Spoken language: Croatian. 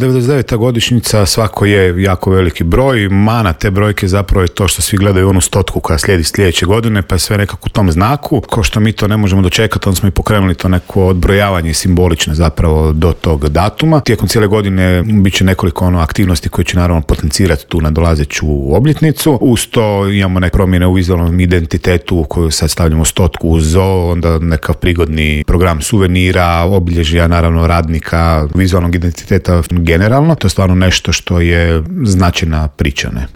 99. godišnjica svako je jako veliki broj, mana te brojke zapravo je to što svi gledaju onu stotku koja slijedi sljedeće godine, pa je sve nekako u tom znaku. Ko što mi to ne možemo dočekati, onda smo i pokrenuli to neko odbrojavanje simbolično zapravo do tog datuma. Tijekom cijele godine bit će nekoliko aktivnosti koje će naravno potencirati tu nadolazeću obljetnicu. Uz to imamo neke promjene u vizualnom identitetu u koju sad stavljamo stotku uz zoo, onda nekav prigodni program suvenira, obilježja naravno radnika, vizualnog identiteta generalno. To je stvarno nešto što je značajna priča, ne?